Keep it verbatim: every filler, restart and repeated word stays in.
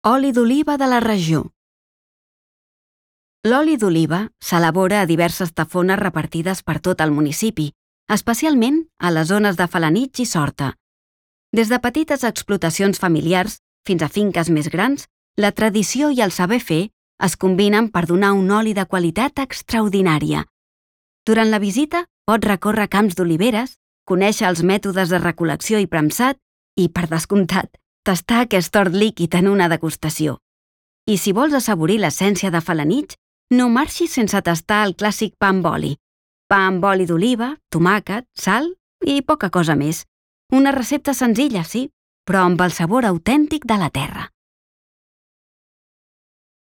Oli d'oliva de la regió. L'oli d'oliva s'elabora a diverses tafones repartides per tot el municipi, especialment a les zones de Felanitx i Sorta. Des de petites explotacions familiars fins a finques més grans, la tradició i el saber fer es combinen per donar un oli de qualitat extraordinària. Durant la visita pots recórrer camps d'oliveres, conèixer els mètodes de recol·lecció i premsat i, per descomptat, tastar aquest hort líquid en una degustació. I si vols assaborir l'essència de Felanitx, no marxis sense tastar el clàssic pa amb oli. Pa amb oli d'oliva, tomàquet, sal i poca cosa més. Una recepta senzilla, sí, però amb el sabor autèntic de la terra.